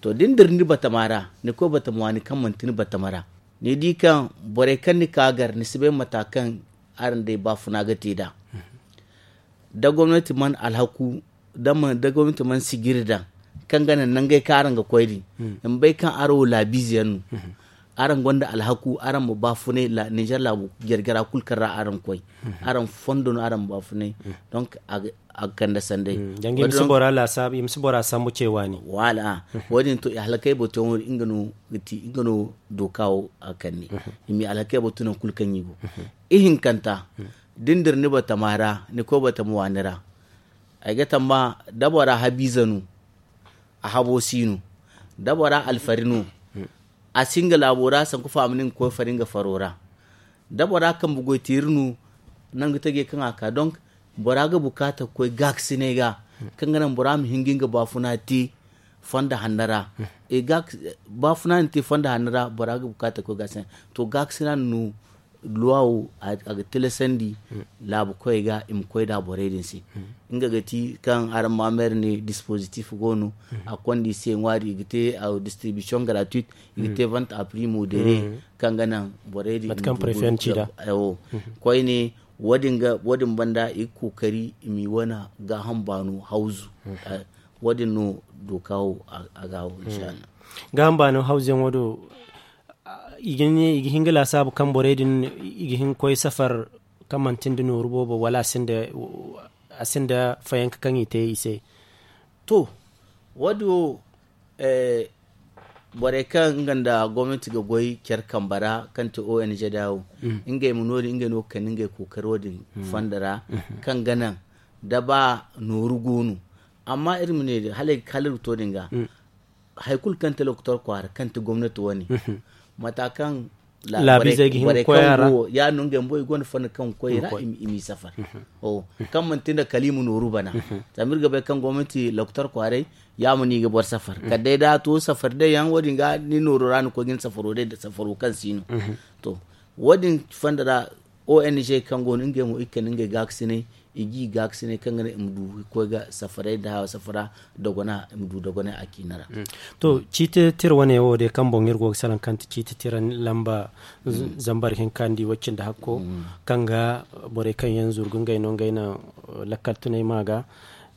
to da ni dira ni batama ra ni koy batama waani kaŋ manti ni batama ra ni di kaŋ borey kaŋ ni ka gar ni si bay mata kaŋ araŋ day baafuna ga te nd'a. Da gomnati mana alhaku da gomnati mana sijiri daŋ kaŋ ga naŋ nangey kaŋ araŋ ga koy din i ma bay kaŋ araŋ wo laabiize yaŋ no. Araŋ gonda alhaku araŋ ma baafunay nizer laabu jare-jara kulu kaŋ ra araŋ koy araŋ fondo no araŋ ma baafunay. Donc a ga kande sanday i ma si bora sambu ce waani. Waala wo- din to i halakay batuyaŋo nga no ga ti nga no dooka wo a kande. I ma i halakay batu nangu kulu kaŋ i go ihinkanta da ni dira ni batama ra ni koy batama waani ra. Ay ga tamba da bora habiize no a habo si no. Da bora alfari no a si nga laabo ra sanku faama no nga koy fari nga faro ra. Da bora kambe goy teeri no nangu tajey kaŋ a ka donk bora ga bukaata ga koy gaakasinay ga kaŋ ga naŋ bora ma hin ga nga baafuna te fondo hanno ra. Baafuna din te fondo hanno ra bora ga bukaata ga koy gaakasinay. To gaakasina no luwa wo a ga tilasandi laabu koyey ga i ma koy nd'a borey din se. Nga ga ti kaŋ araŋ ma meere ne dispositif go no a konda i se ŋwaari i ga te distribution gratuite i ga te vente a prix modere kaŋ ga naŋ borey din i ma du ga. Koyne wo- din banda i ga kookari i m'i wane gaaham baano hawzu. Wo- din no dooka wo a ga wo inshallah. Gaaham baano hawzuyaŋo do i ga hin ga laasaabu kaŋ borey din i ga hin ga koy safar kaŋ manti nda nooru boobo wala a sinda fayanka kaŋ i te i se. To wo- din wo borey kaŋ nga nda gomnati ga goy care kambe ra kaŋ ti ong da wo ngey ma no- din ngey no ga kande ngey kookari wo- din fondo ra kaŋ ga naŋ da ba nooru go no. Amma iri ma ne hala iri ga to din ga hari kulu kaŋ ti lokotor kwaara kaŋ ti gomnati wane mata kaŋ Laabizey ga hin ga koy a ra. Ya no ngey bumbo i gonda fonda kaŋ ga koy i ra, i m'i safar. Kaŋ manti nda kala i ma nooru bana. Zama iri ga bay kaŋ gomnati lokotor kwaaray, ya ma no i ga boro safar kala day da a to safar day yaŋ wo- din ga ni nooru ra ni koy ga ni safaro day nda safaro kaŋ si no. To, wo- din fonda ra, ong kaŋ go no ngey mo i ga kande ngey gaakasinay, i g'i gaakasinay kaŋ ga naŋ i ma du ga koy ga safaray nda hayo safara, dogona i ma du dogonay a ciina ra. To, ciiti tira wane wo day kaŋ boŋ iri go ga salaŋ kaŋ ti ciiti tira lamba zambar hinka nda i wacce nda hakko, kaŋ ga borey kaŋ yaŋ zuru ga ngey no ngey naŋ lakkal tunay ma ga,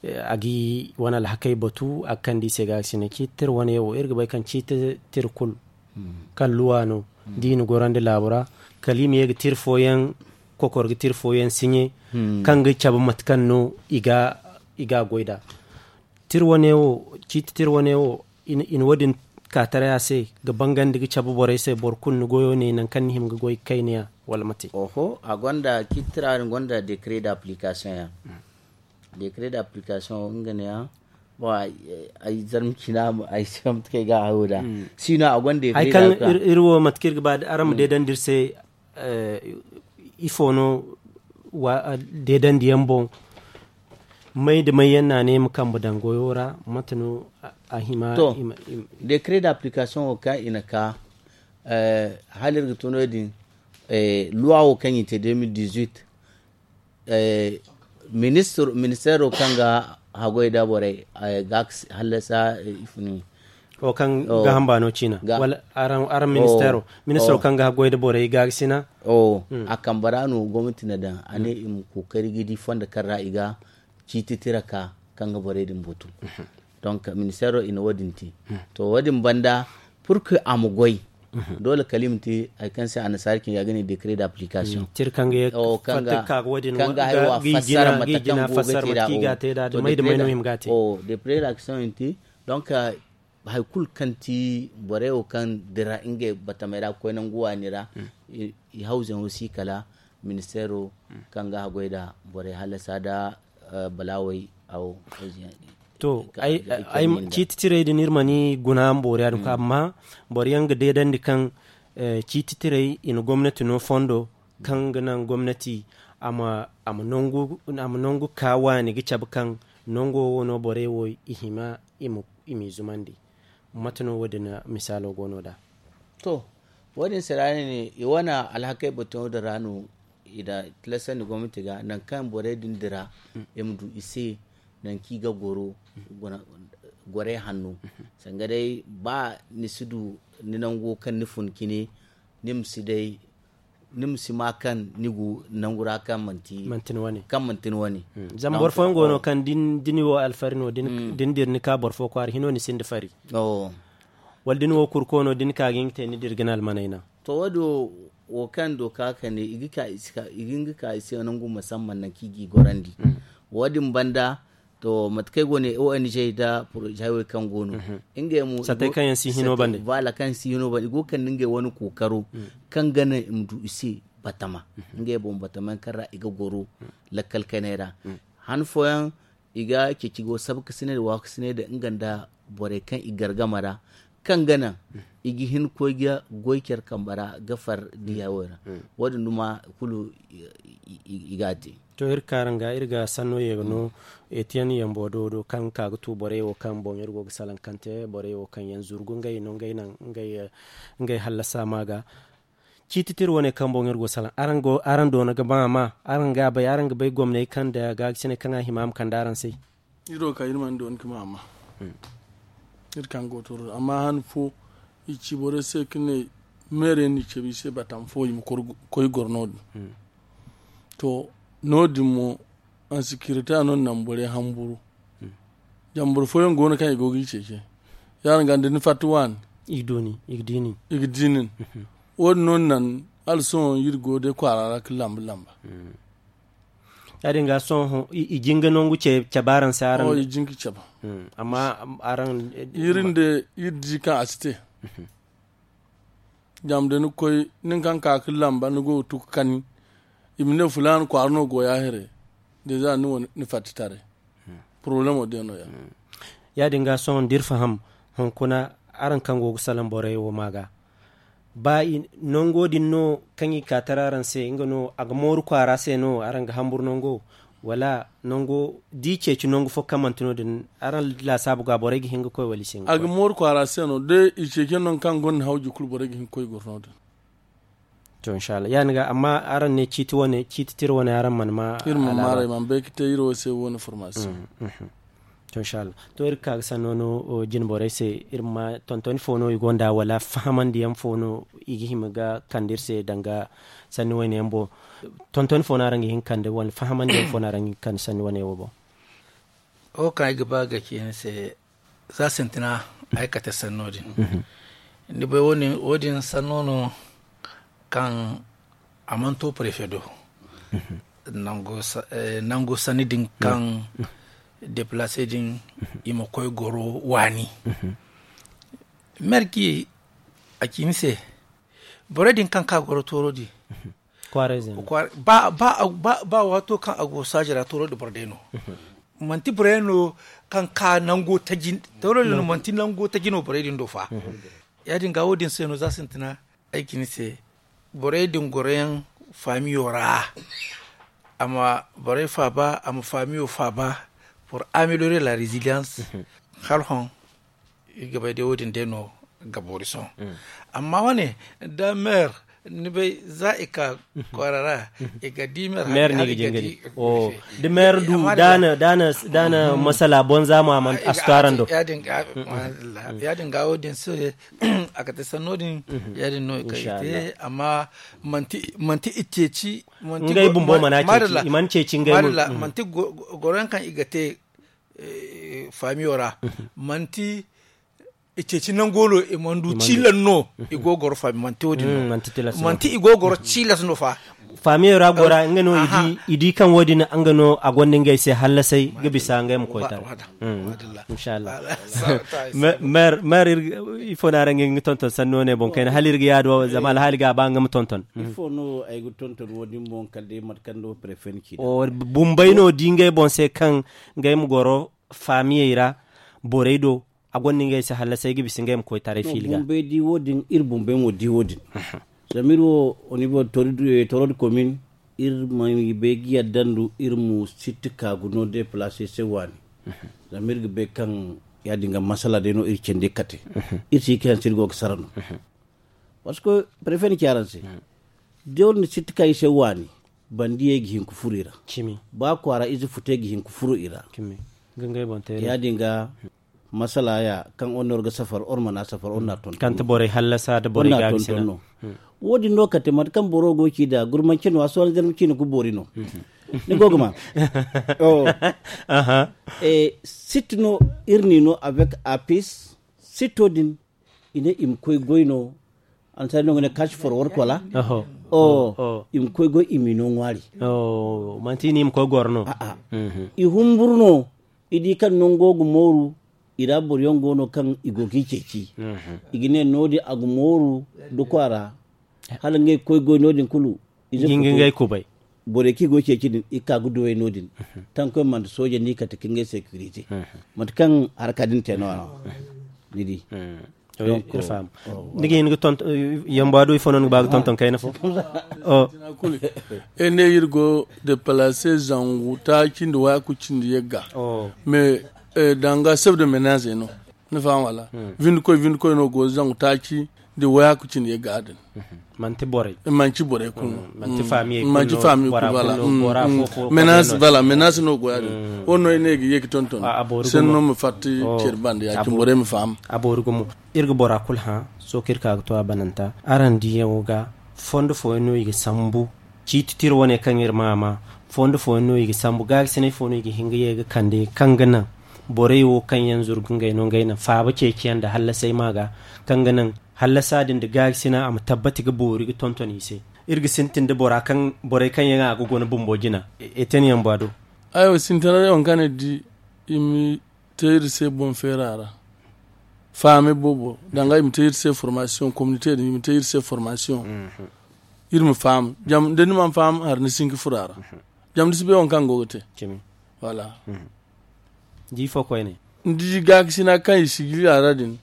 a ga i wane alhakey batu a ga kande i se gaakasinay ciiti tira wane wo iri ga bay kaŋ ciiti tira kulu kaŋ luwa no, da i na gorandi laabu ra, kala i ma ye ga tira fooyaŋ kokor ga tira fooyaŋ siɲe, kaŋ ga cabe mate kaŋ no i ga a goy nd'a. Tira wane wo, ciiti tira wane wo, i na wo- din ka taray a se ga bangandi ga cabe borey se boro kulu ni goyo ne nangu kaŋ ni hima ga goy ga kayna ya, wala mate? Oho, a gonda ciiti tira din gonda dekare da application ya. Dekare da application wo nga ne ya. Bon, ay zarma cina ay si fahimta kay ga hayo da. Sino a gonda dekare da application. Iri wo mate kaŋ iri ga ba araŋ ma deedandi iri se, ifo no deedandi yaŋ boŋ? May da may yaŋ no a ne ma kambe daŋ goyo ra? Mate no a hima? To, dekare da application wo kaŋ i na ka, hala iri ga tun no- din, luwa wo kaŋ i te deux mille dix-huit, ministeero kaŋ ga haggoy nda borey ga hallasa ifo no? Wo kaŋ ga hamba no ciina wala araŋ ministeero? Ministeero kaŋ ga haggoy nda borey ga sina. A kambe ra no gomnati na daŋ a ne i ma kookari ga di fondo kaŋ ra i ga ciiti tira ka kaŋ ga borey din batu. Donc ministeero i na wo- din te. To, wo- din banda, pour que a ma goy, doole kala i ma te hari kaŋ se annasaara cine i ga ne decret d'application. Tira kaŋ ga ye ga fatta ga wo- din kaŋ ga haywa fassara mate kaŋ go ga te da. Decret d'action i na te. Donc hari kulu kaŋ ti borey wo kaŋ dira ngey batamey ra ga koy nangu waani ra, i hawzaŋo si kala ministeero kaŋ ga haggoy nda borey hallasa nda balaawey. To, ciiti tirey din iri mana i guna boori yaadin koy amma boro yaŋ ga deedandi kaŋ ciiti tirey i na gomnati no fondo kaŋ ga naŋ gomnati a ma nangu ka waani ga cabe kaŋ nango wo no borey wo i hima i m'i zumandi. Mate no wo- din misaalo go no nd'a? To, wo- din se ra no ne i wane alhakey batuyaŋo din ra no i na tilasandi gomnati ga nangu kaŋ borey din dira i ma du i se nangu kaŋ i ga goro. Gorey hanno sanga day ba ni si du ni nango kaŋ ni fun cine ni ma si day ni ma si ma kaŋ ni go nangu ra kaŋ manti ni wane. Zama boro fooyaŋ go no kaŋ da ni wo alfari no da ni dira ni ka boro fo kwaara hino ni sinda fari. Wala da ni wo kurko no da ni ka ga hin ga te ni dira ga ni almaney naŋ. To wo- din wo kaŋ do ka kande i ga hin ga ka i se nangu musamman nangu kaŋ i g'i gorandi. Wo- din banda to mate kaŋ ay go ne ong nda poroze haywey kaŋ go no ngey mo sattey kaŋ yaŋ si hino bande i go ga kande ngey wane kookaro kaŋ ga naŋ i ma du i se batama. Ngey boŋ batama yaŋ kaŋ ra i ga goro lakkal kanay ra. Han fooyaŋ i ga ceeci go sabkasinay nda waakasinay nda nga nda borey kaŋ i gargama ra kaŋ ga naŋ i ga hin ga koy ga goy care kambe ra ga far diya wo- ra. Wo- din duma kulu i ga a te. To iri kaara nga iri ga sanno ye ga no etiyen yambo do do kaŋ ka ga tu borey wo kaŋ boŋ iri go ga salaŋ kaŋ te borey wo kaŋ yaŋ zurgu ngey no ngey naŋ ngey hallasa ma ga. Ciiti tira wane kaŋ boŋ iri go salaŋ araŋ do no ga ba a ma araŋ ga a bay araŋ ga bay gomney kaŋ da gaagasinay kaŋ a hima a ma kande araŋ se. Iri wo ka iri mana dooni ka ma a ma iri kaŋ go toro amma han fo i ci borey se ka ne meerey n'i cabe i se batama fo i ma koy goro no- din. To no- din mo ansikirita no naŋ borey hamburu. Zama boro fooyaŋ go no kaŋ i go ga i ceece ya- din ga da ni fatta waani i ga di nin. Wo- din no naŋ hala sohõ iri go day kwaara ra ka lamba lamba. Ya- din ga sohõ i jin ga nangu cabe araŋ se araŋ i jin ga cabe. Amma araŋ iri nda iri di kaŋ a si te. Zama da ni koy nin kaŋ ka ga lamba ni go ga tu ga kani i ma ne filaana kwaara no go ya here. Deeza ni wo ni fatta taray. Poroblemo day no- ya. Ya- din ga sohõ da iri faham hunkuna araŋ kaŋ go ga salaŋ borey wo ma ga Ba nango din no kaŋ i ka tara araŋ se nga no a ga mooru kwaara se no araŋ ga hamburu nango? Wala nango da i ceeci nangu fo kaŋ manti no- din araŋ laasaabu ga borey ga hin ga koy wala i si hin ga koy? A ga mooru kwaara se no da i ceeci nangu kaŋ gonda hawji kulu borey ga hin ga koy goro no- din. To inshallah ya- din ga amma araŋ ne ciiti wane ciiti tira wane araŋ mana ma iri mana maaray mana bay ga te iri wo se wane formation. To inshallah to iri ga ka ga sanno no jine borey se iri ma ma tontoni fo no i gonda wala fahamandiyaŋ fo no i ga hima ga kande iri se danga sanni wayne yaŋ boŋ? Tontoni fo no araŋ ga hin ga kande wala fahamandiyaŋ fo no araŋ ga hin ga kande sanni wane wo boŋ? Wo kaŋ ay ga ba ga ci ni se za sintina ay kate sanno din. Ni bay wo- din sanno no kaŋ a mana to prefe do. Nango sanni din kaŋ deplace din i ma koy goro waani. Merki a ci ni se borey din kaŋ ka goro tooro di ba waato kaŋ a go saaji ra tooro di boro day no. Manti borey no kaŋ ka nango taji tooro di no manti nango taji no borey din do fa. Ya- din ga wo- din se no za sintina ay ci ni se borey din goroyaŋ faamiyo ra. A ma borey faaba a ma faamiyo faaba pour améliorer la résilience. Hala hõ iri ga bay day wo- din day no ga boori sohõ. Amma wane da meer ni bay za i ka kwaara ra i ga di meer. Meer no i ga jingari da meer du da a na masala boŋ za mo a si to araŋ do. Ya- din ga wo- din se a ga te sanno din ya- din no i ga te amma manti i ceeci. Ngey bumbo mana ceeci i mana ceeci ngey mo. Manti goro yaŋ kaŋ i ga te faamiyo ra manti i ceeci nango no i mana du ciilan no. I go goro faami manti wo- din no manti i go goro ciilas no fa. Faamiyo ra gora nga no i di kaŋ wo- din nga no a gonda ngey se hallasay ga bisa ngey ma koy tara. Inshallah. Mer mer ifo no araŋ ga hin ga tonton sanno ne boŋ kayna hala iri ga yaado zama alhaali ga a ba nga ma tonton. Ifo no ay ga tonton wo- din boŋ kala day mate kaŋ no prefe ni ci da bumbey no di ngey boŋ se kaŋ ngey ma goro faamiyey ra borey do a gonda ngey se hallasay ga bisa ngey ma koy taray fiili ga. Bumbey di wo- din iri bumbey mo di wo- din. Zama iri wo au niveau de torodi commune iri ma bay ga yadda ndu iri ma sitti kaagu no deplace se waani. Zama iri ga bay kaŋ ya- din ga masala day no iri candi ga kate. Iri si ga kaŋ yaŋ se iri go ga sara no. Parce que prefe na ci araŋ se da iri na sitti ka i se waani bandiyey ga hin ga furo i ra. Ba kwaara ize futey ga hin ga furo i ra. Ya- din ga masala ya kaŋ or no iri ga safar or mana safar or na tonton kaŋ ti borey hallasa da borey gaabisina. Wo- din no kate mate kaŋ boro go ci da gurmance no a sohõ zarma ciine ga boori no. Ni go ga ma sitti no iri n'i no avec apis sitto din i ne i ma koy goy no. Ansa no ga ne kaasi forwar kola. I ma koy goy i m'i no ŋwaari. Manti i ne i ma koy goro no. I humburu no i di kaŋ nango ga mooru. I ra boro yaŋ go no kaŋ i go ga i ceeci. I ga ne no- din a ga mooru da kwaara hala ngey ga koy goy no- din kulu. Ize ga ngey kubay. Borey kaŋ i go ga ceeci din i ga ka ga duwey no- din. Tankoy mana sooja no i kate ka ngey securité. Mate kaŋ haraka din te no- ya no ni di. Ni ga hin ga tonton yamba do ifo no ni ga ba ga tonton kayna fo. Iri ne iri go déplacer zangu taaci nda waya ku cindi yagga. Mais danga chef de ménage no ni faham wala? Vindi koy vindi koy no go zangu taaci nda waya ku cindi yagga din. Manti borey manti borey kulu manti famille kulu wala menace bala menace no go ya din. Wo no i ne ga ye ga tonton. Sen no ma fatta cere banda ya cin borey ma faham. A boori gumo iri ga bora kulu hã. Sohõ kaŋ iri ka ga to a bananta araŋ diyaŋo ga fondo fooyaŋ no i ga sambu. Ciiti tira wane kaŋ iri ma a ma fondo fooyaŋ no i ga sambu gaabisinay fo no i ga hin ga ye ga kande kaŋ ga naŋ borey wo kaŋ yaŋ zuru ga ngey no ngey naŋ faaba ceeciyaŋ nda hallasay ma ga kaŋ ga naŋ hallasa din nda gaabisina a ma tabbati ga boori ga tonton i se. Iri ga sintin da bora kaŋ borey kaŋ yaŋ a ga guna bumbo jina. Eten yaŋ ba do. Ay wo sintina day waŋ kaŋ ni di i ma te iri se boŋ feera ra. Fahamay boobo danga i ma te iri se formation communauté din i ma te iri se formation. Iri ma faham zama da ni mana faham hari ni si hin ga furo a ra. Zama ni si bay waŋ kaŋ go ga te. Wala. Di fo koyne ni di gaakasina kaŋ i si giri a ra din.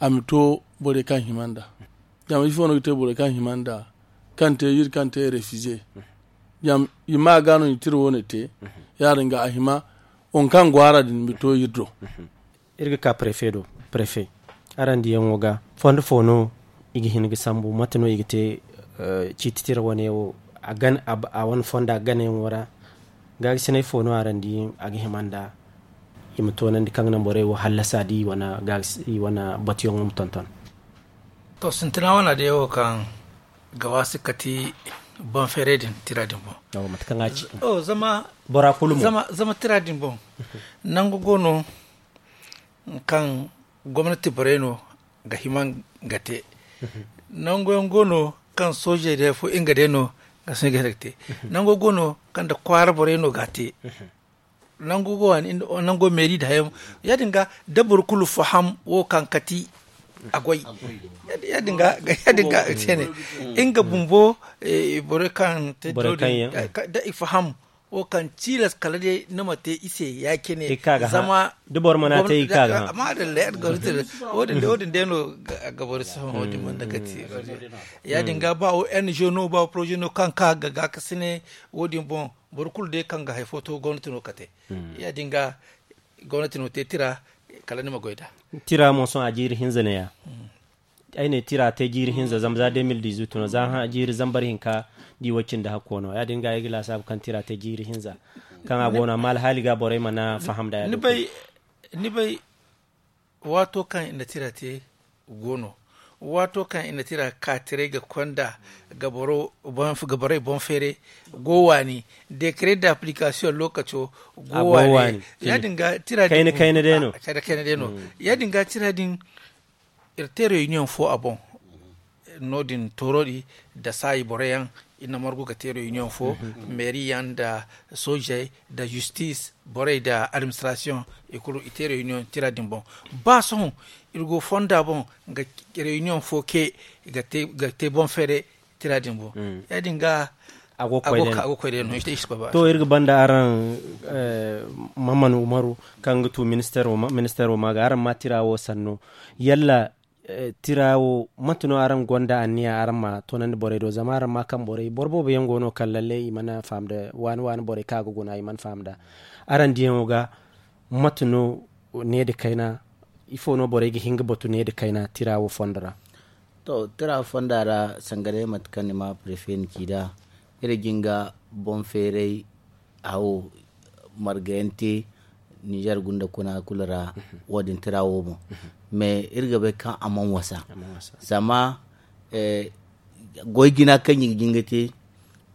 A ma to borey kaŋ hima nd'a. Zama ifo no ga te borey kaŋ hima nda kaŋ te iri kaŋ te refize. Zama i ma ga no i tira wo ne te. Ya-din ga a hima wo kaŋ go a ra din ma to iri do. Iri ga ka prefe do. Prefe, araŋ diyaŋo ga fondo fo no i ga hin ga sambu mate no i ga te? Ciiti tira wane wo a wane fonda ganayaŋo ra gaagisinay fo no araŋ di a ga hima nda i ma toonandi kaŋ ga naŋ borey wo hallasa da i wane batuyaŋo ma tonton? To sintina wana day wo kaŋ ga waasi kati boŋ feeray din tira din boŋ. Zama tira din boŋ nangu go no kaŋ gomnati borey no ga hima ga te. Nangu yaŋ go no kaŋ soojey day fo nga day no ga hima ga te. Nango go no kaŋ da kwaara borey no ga te. Nango go waani nango meeri da hayo. Ya- din ga da boro kulu faham wo kaŋ kati a goy. Ya- din ga se ne nga bumbo borey kaŋ te da i faham wo kaŋ tilas kala day ni ma te i se ya- cine. Zama da boro mana te i ka ga ha. Wo- din day no ga boro si faham wo- din mana ga ti. Ya- din ga ba wo n g no ba wo poroze no kaŋ ka ga ga ka sine wo- din boŋ. Boro kulu day kaŋ ga hari fo to gomnati no kate. Ya- din ga gomnati no te tira kala ni ma goy nd'a. Tira mo sohõ a jiiri hinza neeya. Ay ne tira te jiiri hinza zama za de mil dizuit no za jiiri zambar hinka da i way cindi hakko no ya- din ga ay ga laasaabu kaŋ tira te jiiri hinza kaŋ a go no amma alhaali ga borey mana faham nd'a ya- din. Ni bay waato kaŋ i na tira te go no waato kaŋ i na tira kaatiray ga konda ga borey boŋ feeray go waani dekare da aplikasiyoŋ lookaco go waani. Ya- din ga tira din kayna kayna day no. Ya- din ga tira din iri te reyuniyoŋ fo a boŋ. No- din tooroodi nda saayi boro yaŋ iri na margu ga te reyuniyoŋ fo meeri yaŋ nda soojey nda justis borey nda administrasiyoŋ i kulu i te reyuniyoŋ tira din boŋ. Ba sohõ iri go fonda boŋ ga reyuniyoŋ fo ke ga te boŋ feere tira din boŋ. Ya- din ga a go ga koy day no. To iri ga banda araŋ maman umaru kaŋ ga tu ministeero ma ga araŋ ma tira wo sanno yalla tira wo mate no araŋ gonda anniya araŋ ma toonandi borey do zama araŋ ma kaŋ borey boro boobo yaŋ go no kaŋ lalle i mana faham nda waani waani borey kaŋ a ga guna i mana faham nda araŋ diyaŋo ga mate no ne nda kayna ifo no borey ga hin ga batu ne nda kayna tira wo fondo ra? To tira fonda ra sangaray mate kaŋ ni ma prefe ni ci nd'a iri ga hin ga boŋ feeray hawo margayaŋ te nizer gunda kuna kulu ra wo- din tira wo boŋ. Mais iri ga bay kaŋ a mana wasa zama goy jina kaŋ i ga jin ga te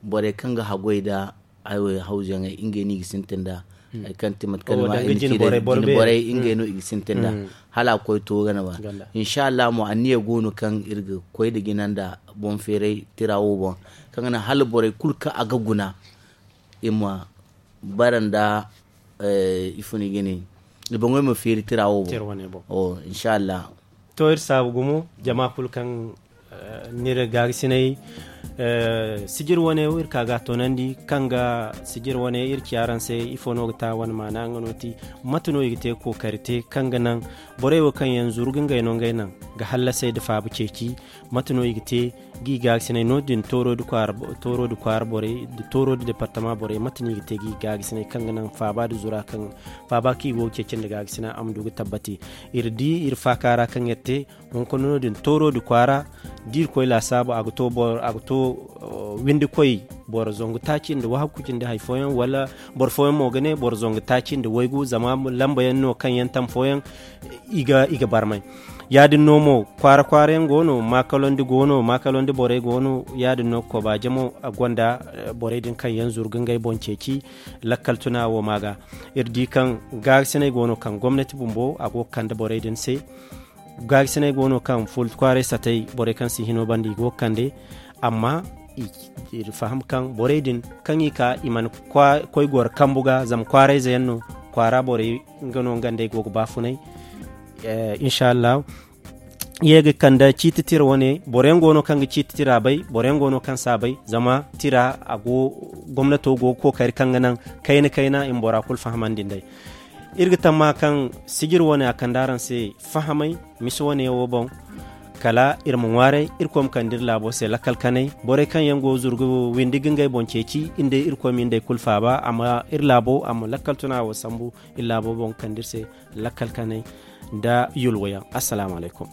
borey kaŋ ga haggoy nda hawzuyaŋey ngey no i ga sintin nda hari kaŋ ti mate kaŋ ni ma i na ci day jine borey ngey no i ga sintin nda hala a koy to ga na ba. Insa allah mo anniya go no kaŋ iri ga koy nda jina nda boŋ feeray tira wo boŋ kaŋ ga naŋ hala borey kulu kaŋ a ga guna i ma bara nda ifo no i ga ne i boŋey ma feeri tira wo boŋ. Insa allah. To iri saabu gumo jama kulu kaŋ ni iri gaagisinay sijir wane wo iri ka ga a toonandi kaŋ ga sijir wane iri ci araŋ se ifo no ga ta wane maana nga no ti mate no i ga te kookari te kaŋ ga naŋ borey wo kaŋ yaŋ zuru ga ngey no ngey naŋ ga hallasey nda faaba ceeci mate no i ga te ga i gaagisinay no- din tooroodi kwaara borey nda tooroodi departama borey mate no i ga te ga i gaagisinay kaŋ ga naŋ faaba nda zura kaŋ faaba kaŋ i go ga ceeci nda gaagisinay a ma du ga tabbati. Iri di iri faaka ra kaŋ iri te hunkuna no- din tooroodi kwaara da iri koy laasaabu a ga to windikoy boro zangu taaci nda wahakku cindi hari fooyaŋ wala boro fooyaŋ mo ga ne boro zangu taaci nda waygu zama lamba yaŋ no kaŋ yaŋ tam fooyaŋ i ga barmay. Ya- din no mo kwaara kwaara yaŋ go no maakalandi go no maakalandi borey go no ya- din no kobaajamo a gonda borey din kaŋ yaŋ zuru ga ngey boŋ ceeci lakkal tuna wo ma ga. Iri di kaŋ gaagisinay go no kaŋ gomnati bumbo a go ga kande borey din se gaagisinay go no kaŋ fuula kwaaray satay borey kaŋ si hino banda i go ga kande. Amma iri faham kaŋ borey din kaŋ i ka i mana koy goro kambu ga zama kwaarayze yaŋ no kwaara borey nga no nga nd'ey go ga baafunay. Insa allahu ye ga kande ciiti tira wane boro yaŋ go no kaŋ ga ciiti tira bay boro yaŋ go no kaŋ si a bay zama tira a go gomnato go ga kookari kaŋ ga naŋ kayna kayna i ma bora kulu fahamandi nd'ey. Iri ga tamma kaŋ sijir wane a kande araŋ se fahamay misa wane wo boŋ. Kala iri ma ŋwaaray, irkoy ma kande iri laabo se lakkal kanay. Borey kaŋ yaŋ go zurgu windi ga ngey boŋ ceeci, iri day irkoy ma iri nd'ey kulu faaba. Amma iri laabo a ma lakkal tuna wo sambu. Iri laabo boŋ ga kande iri se lakkal kanay nda yulwayaŋ. Assalaamu alaykum.